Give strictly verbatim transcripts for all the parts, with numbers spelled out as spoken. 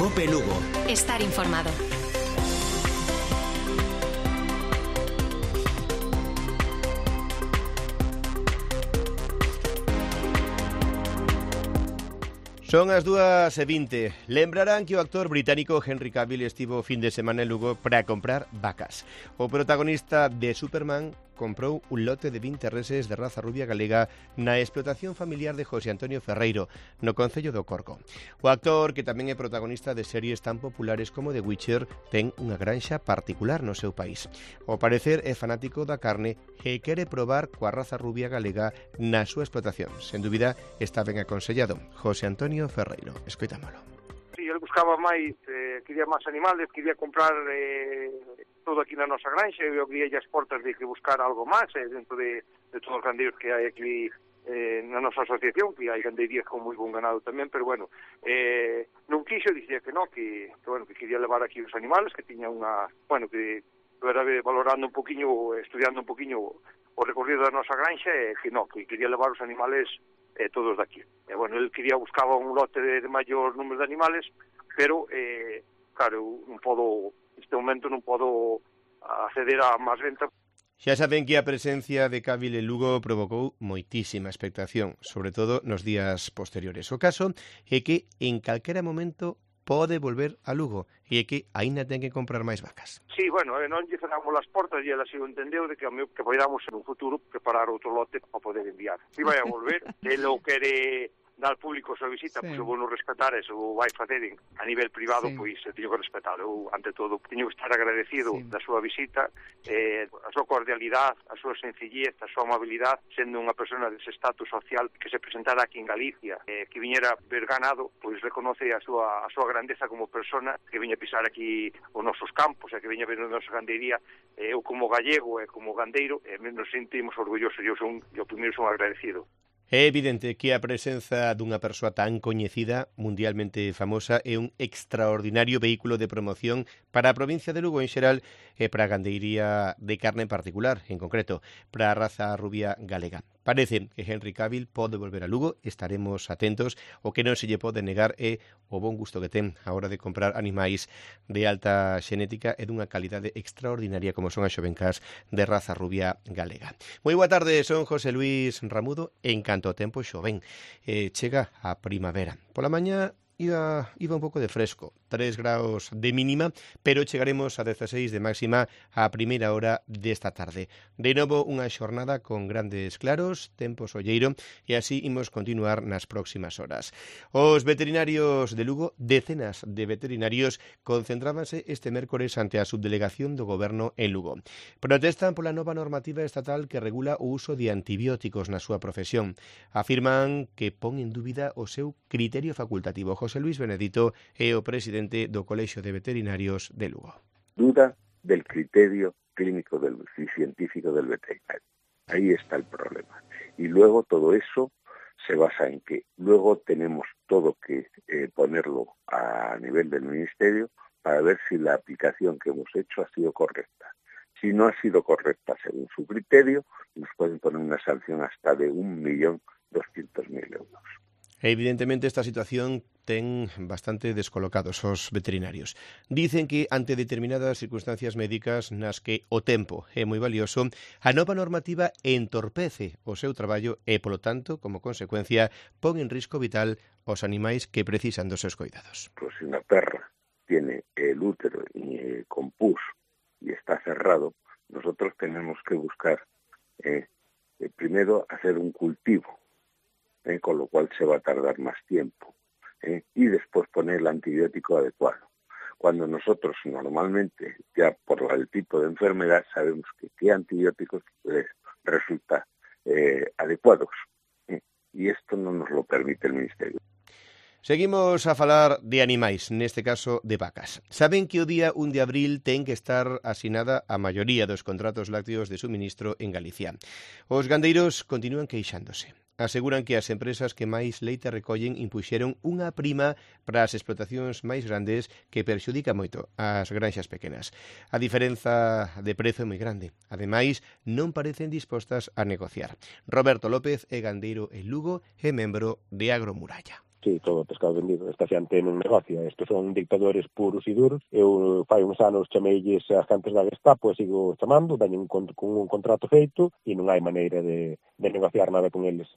Cope Lugo. Estar informado. Son as dúas e vinte. Lembrarán que o actor británico Henry Cavill estivo fin de semana en Lugo para comprar vacas. O protagonista de Superman comprou un lote de vinte reses de raza rubia galega na explotación familiar de José Antonio Ferreiro, no concello do Corco. O actor, que tamén é protagonista de series tan populares como The Witcher, ten unha granxa particular no seu país. Ao parecer é fanático da carne e quere probar coa raza rubia galega na súa explotación. Sen dúbida, está ben aconsellado. José Antonio Ferreiro, escoitámolo. Sí, eu buscaba máis, eh, quería máis animales, quería comprar eh, todo aquí na nosa granxa, eu abría as portas de que buscar algo máis eh, dentro de, de todos os gandeiros que hai aquí eh, na nosa asociación, que hai gandeirías con moi bon ganado tamén, pero bueno, eh, non quixo, dicía que non, que, que, bueno, que quería levar aquí os animales, que tiña unha, bueno, que era valorando un poquinho, estudiando un poquinho o recorrido da nosa granxa, e que non, que quería levar os animales eh, todos daqui. E, bueno, el quería, buscaba un lote de, de maior número de animales, pero, eh, claro, non podo, neste momento non podo acceder a máis venta. Xa saben que a presencia de Cavill en Lugo provocou moitísima expectación, sobre todo nos días posteriores. O caso é que en calquera momento pode volver a Lugo e é que aínda ten que comprar máis vacas. Sí, bueno, eh, non lle cerramos as portas e ela se o entendeu de que, que podamos en un futuro preparar outro lote para poder enviar. Si vai a volver, el o quere dar público a súa visita, sí. Pois eu vou non respetar, eso vai facer a nivel privado, sí. Pois teño que respetar. Eu, ante todo, teño que estar agradecido sí. Da súa visita, eh, a súa cordialidade, a súa sencillez, a súa amabilidade, sendo unha persona dese estatus social que se presentara aquí en Galicia, eh, que viñera ver ganado, pois reconoce a súa, a súa grandeza como persona, que viña a pisar aquí os nosos campos, e que viña a ver a nosa gandeiría. Eh, eu como gallego e como gandeiro, eh, nos sentimos orgullosos, eu son, eu primeiro son agradecido. É evidente que a presenza dunha persoa tan coñecida, mundialmente famosa, é un extraordinario vehículo de promoción para a provincia de Lugo en xeral e para a gandeiría de carne en particular, en concreto, para a raza rubia galega. Parece que Henry Cavill pode volver a Lugo, estaremos atentos. O que non se lle pode negar é o bon gusto que ten a hora de comprar animais de alta xenética e dunha calidade extraordinaria como son as xovencas de raza rubia galega. Moi boa tarde, son José Luis Ramudo. En canto ao tempo xoven, eh, chega a primavera. Pola mañá Iba, iba un pouco de fresco, tres graus de mínima, pero chegaremos a dezaseis de máxima a primeira hora desta tarde. De novo, unha xornada con grandes claros, tempo solleiro, e así imos continuar nas próximas horas. Os veterinarios de Lugo, decenas de veterinarios, concentrábanse este mércores ante a subdelegación do Goberno en Lugo. Protestan pola nova normativa estatal que regula o uso de antibióticos na súa profesión. Afirman que pon en dúbida o seu criterio facultativo. José Luis Benedito é o presidente do Colexio de Veterinarios de Lugo. Duda del criterio clínico del, y científico del veterinario. Ahí está el problema. Y luego todo eso se basa en que luego tenemos todo que eh, ponerlo a nivel del Ministerio para ver si la aplicación que hemos hecho ha sido correcta. Si no ha sido correcta según su criterio, nos pueden poner una sanción hasta de un millón doscientos mil euros. Evidentemente esta situación ten bastante descolocados os veterinarios. Dicen que ante determinadas circunstancias médicas nas que o tempo é moi valioso, a nova normativa entorpece o seu traballo e, polo tanto, como consecuencia, pon en risco vital os animais que precisan dos seus cuidados. Pues si una perra tiene el útero eh, con pus y está cerrado, nosotros tenemos que buscar eh, eh, primero hacer un cultivo, Eh, con lo cual se va a tardar más tiempo, eh, y después poner el antibiótico adecuado. Cuando nosotros normalmente, ya por el tipo de enfermedad, sabemos que qué antibióticos les resulta eh, adecuados, eh, y esto no nos lo permite el Ministerio. Seguimos a falar de animais, neste caso de vacas. Saben que o día un de abril ten que estar asinada a maioría dos contratos lácteos de suministro en Galicia. Os gandeiros continúan queixándose. Aseguran que as empresas que máis leite recollen impuxeron unha prima para as explotacións máis grandes que perxudica moito ás granxas pequenas. A diferenza de prezo é moi grande. Ademais, non parecen dispostas a negociar. Roberto López é gandeiro en Lugo e membro de Agromuralla. Sí, todo o pescado vendido. Esta xente non negocia. Estos son dictadores puros e duros. Eu fai uns anos chameilles as agentes da Gestapo e sigo chamando, dañen con, con un contrato feito e non hai maneira de, de negociar nada con eles.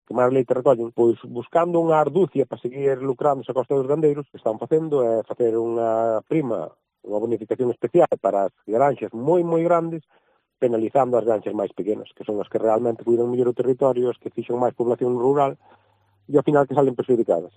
Que máis leite recollen? Pois buscando unha arducia para seguir lucrando a costa dos gandeiros, que están facendo é facer unha prima, unha bonificación especial para as granxas moi, moi grandes, penalizando as granxas máis pequenas, que son as que realmente cuidan mellor o territorio, as que fixan máis población rural, e ao final que salen perjudicadas.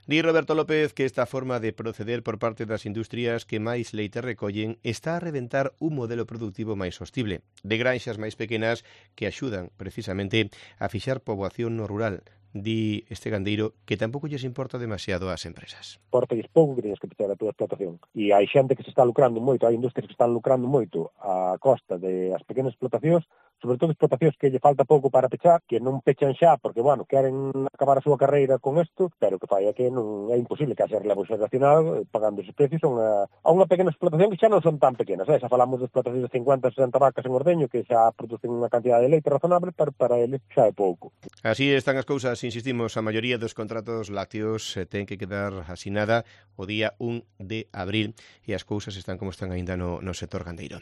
Di Roberto López que esta forma de proceder por parte das industrias que máis leite recollen está a reventar un modelo productivo máis sostible, de granxas máis pequenas que axudan precisamente a fixar poboación no rural. Di este gandeiro que tampouco lles importa demasiado ás empresas. Importa-lles pouco que teñas que pechar a túa explotación. E hai xente que se está lucrando moito, hai industrias que están lucrando moito a costa de as pequenas explotacións, sobre todo explotacións que lle falta pouco para pechar, que non pechan xa porque, bueno, queren acabar a súa carreira con isto, pero que fai é que non é imposible que haxa relevo xeracional pagando esos precios a unha, a unha pequena explotación que xa non son tan pequenas. Eh? Xa falamos de explotacións de cincuenta, sesenta vacas en ordeño que xa producen unha cantidad de leite razonable, pero para eles xa é pouco. Así están as cousas. Insistimos, a maioría dos contratos lácteos ten que quedar asinada o día un de abril e as cousas están como están aínda no, no sector gandeiro.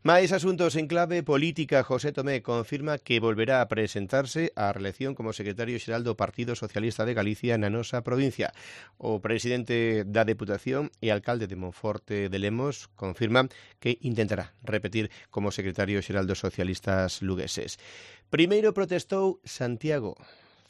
Mais asuntos en clave política. José Tomé confirma que volverá a presentarse á reelección como secretario xeral do Partido Socialista de Galicia na nosa provincia. O presidente da Deputación e alcalde de Monforte de Lemos confirma que intentará repetir como secretario xeral dos socialistas lugueses. Primeiro protestou Santiago.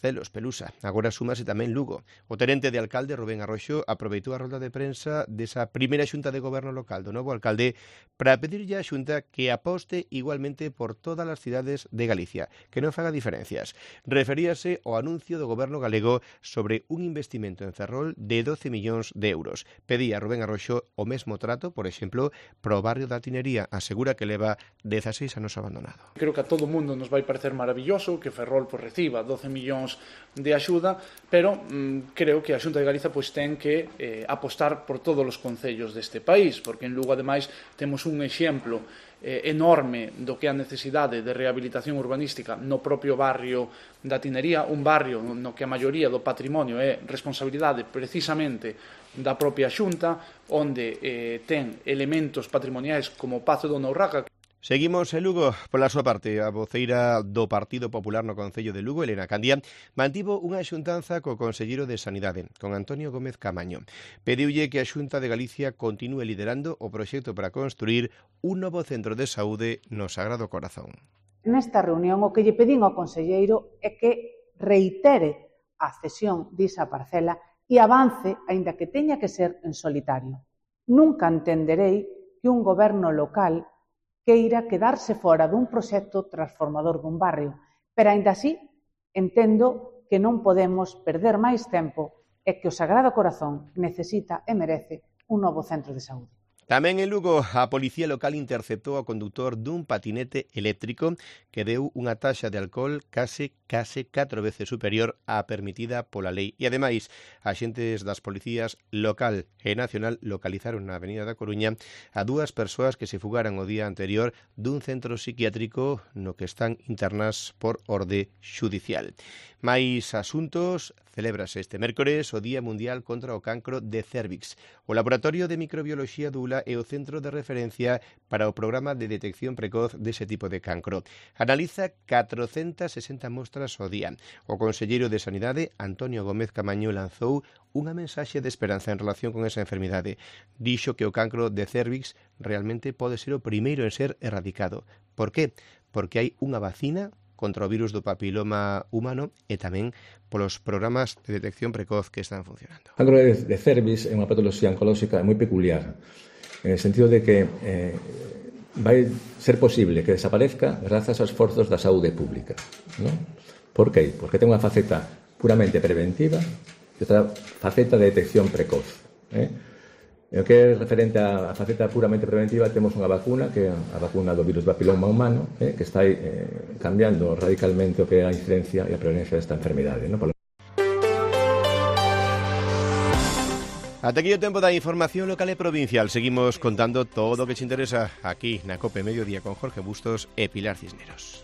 Celos, Pelusa. Agora súmase tamén Lugo. O tenente de alcalde, Rubén Arroxo, aproveitou a rolda de prensa desa primeira xunta de goberno local do novo alcalde para pedirlle á xunta que aposte igualmente por todas as cidades de Galicia, que non faga diferencias. Referíase ao anuncio do goberno galego sobre un investimento en Ferrol de doce millóns de euros. Pedía a Rubén Arroxo o mesmo trato, por exemplo, pro barrio da Tinería. Asegura que leva dezaseis anos abandonado. Creo que a todo mundo nos vai parecer maravilloso que Ferrol pues, reciba doce millóns de axuda, pero mm, creo que a Xunta de Galiza pois, ten que eh, apostar por todos os concellos deste país, porque en Lugo, ademais, temos un exemplo eh, enorme do que é a necesidade de rehabilitación urbanística no propio barrio da Tinería, un barrio no que a maioría do patrimonio é responsabilidade precisamente da propia Xunta, onde eh, ten elementos patrimoniais como o Pazo do Nourraca. Seguimos en Lugo. Pola súa parte, a voceira do Partido Popular no Concello de Lugo, Elena Candía, mantivo unha xuntanza co conselleiro de Sanidade, con Antonio Gómez Camaño. Pediulle que a Xunta de Galicia continúe liderando o proxecto para construir un novo centro de saúde no Sagrado Corazón. Nesta reunión o que lle pedín ao conselleiro é que reitere a cesión disa parcela e avance, aínda que teña que ser en solitario. Nunca entenderei que un goberno local queira quedarse fora dun proxecto transformador dun barrio, pero aínda así entendo que non podemos perder máis tempo e que o Sagrado Corazón necesita e merece un novo centro de saúde. Tamén en Lugo, a Policía Local interceptou ao conductor dun patinete eléctrico que deu unha taxa de alcohol case case catro veces superior á permitida pola lei. E, ademais, axentes das policías local e nacional localizaron na Avenida da Coruña a dúas persoas que se fugaran o día anterior dun centro psiquiátrico no que están internas por orde xudicial. Mais asuntos, celébrase este mércores o Día Mundial contra o Cancro de Cérvix. O Laboratorio de Microbioloxía do U L A é o centro de referencia para o programa de detección precoz dese tipo de cancro. Analiza catrocentas sesenta mostras ao día. O conselleiro de Sanidade, Antonio Gómez Camaño, lanzou unha mensaxe de esperanza en relación con esa enfermidade. Dixo que o cancro de cérvix realmente pode ser o primeiro en ser erradicado. Por qué? Porque hai unha vacina contra o virus do papiloma humano e tamén polos programas de detección precoz que están funcionando. O cancro de, de cervix é unha patoloxía oncolóxica moi peculiar, en el sentido de que eh, vai ser posible que desaparezca grazas aos esforzos da saúde pública. ¿No? Por qué? Porque ten unha faceta puramente preventiva e outra faceta de detección precoz. Eh? E o que é referente á faceta puramente preventiva, temos unha vacuna, que é a vacuna do virus do papiloma humano, eh, que está eh, cambiando radicalmente o que é a incidencia e a prevalencia desta enfermidade. ¿No? Por... Ata aquí o tempo da información local e provincial. Seguimos contando todo o que te interesa aquí na COPE Mediodía con Jorge Bustos e Pilar Cisneros.